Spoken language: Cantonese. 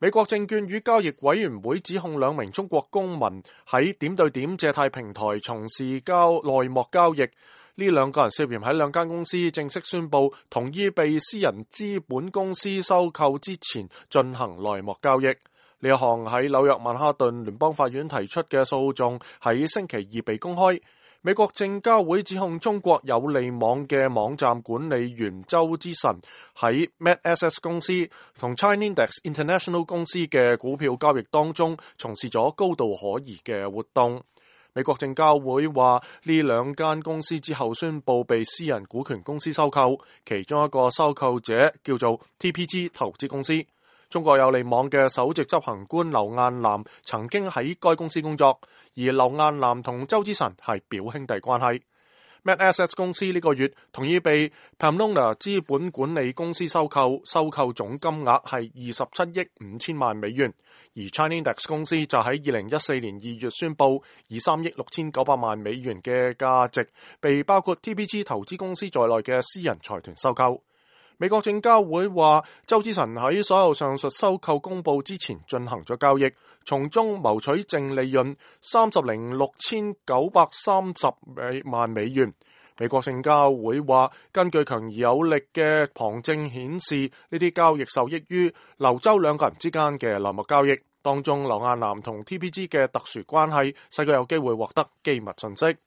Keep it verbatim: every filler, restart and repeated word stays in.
美國證券與交易委員會指控兩名中國公民喺點對點借貸平台從事交內幕交易，呢兩個人涉嫌喺兩間公司正式宣布同意被私人資本公司收購之前進行內幕交易。呢一項喺紐約曼哈頓聯邦法院提出嘅訴訟喺星期二被公開。美國證交會指控中國有利網嘅網站管理員周之晨喺 MetSS 公司同 Chinaindex International 公司嘅股票交易當中從事咗高度可疑嘅活動。美國證交會話呢兩間公司之後宣布被私人股權公司收購，其中一個收購者叫做 T P G 投資公司。中國有利網嘅首席執行官劉雁南曾經喺該公司工作，而劉雁南同周之晨係表兄弟關係。MetSS 公司呢個月同意被 Pamplona 資本管理公司收購，收購總金額係二十七億五千萬美元，而 Chinaindex 公司就喺二零一四年二月宣布以三億六千九百萬美元嘅價值被包括 T P G 投資公司在內嘅私人財團收購。美國證交會話，周之晨喺所有上述收購公佈之前進行咗交易，從中謀取淨利潤三十零六千九百三十萬美元。美國證交會話，根據強而有力嘅旁證顯示，呢啲交易受益於劉周兩個人之間嘅內幕交易，當中劉雁南同 T P G 嘅特殊關係，使佢有機會獲得機密信息。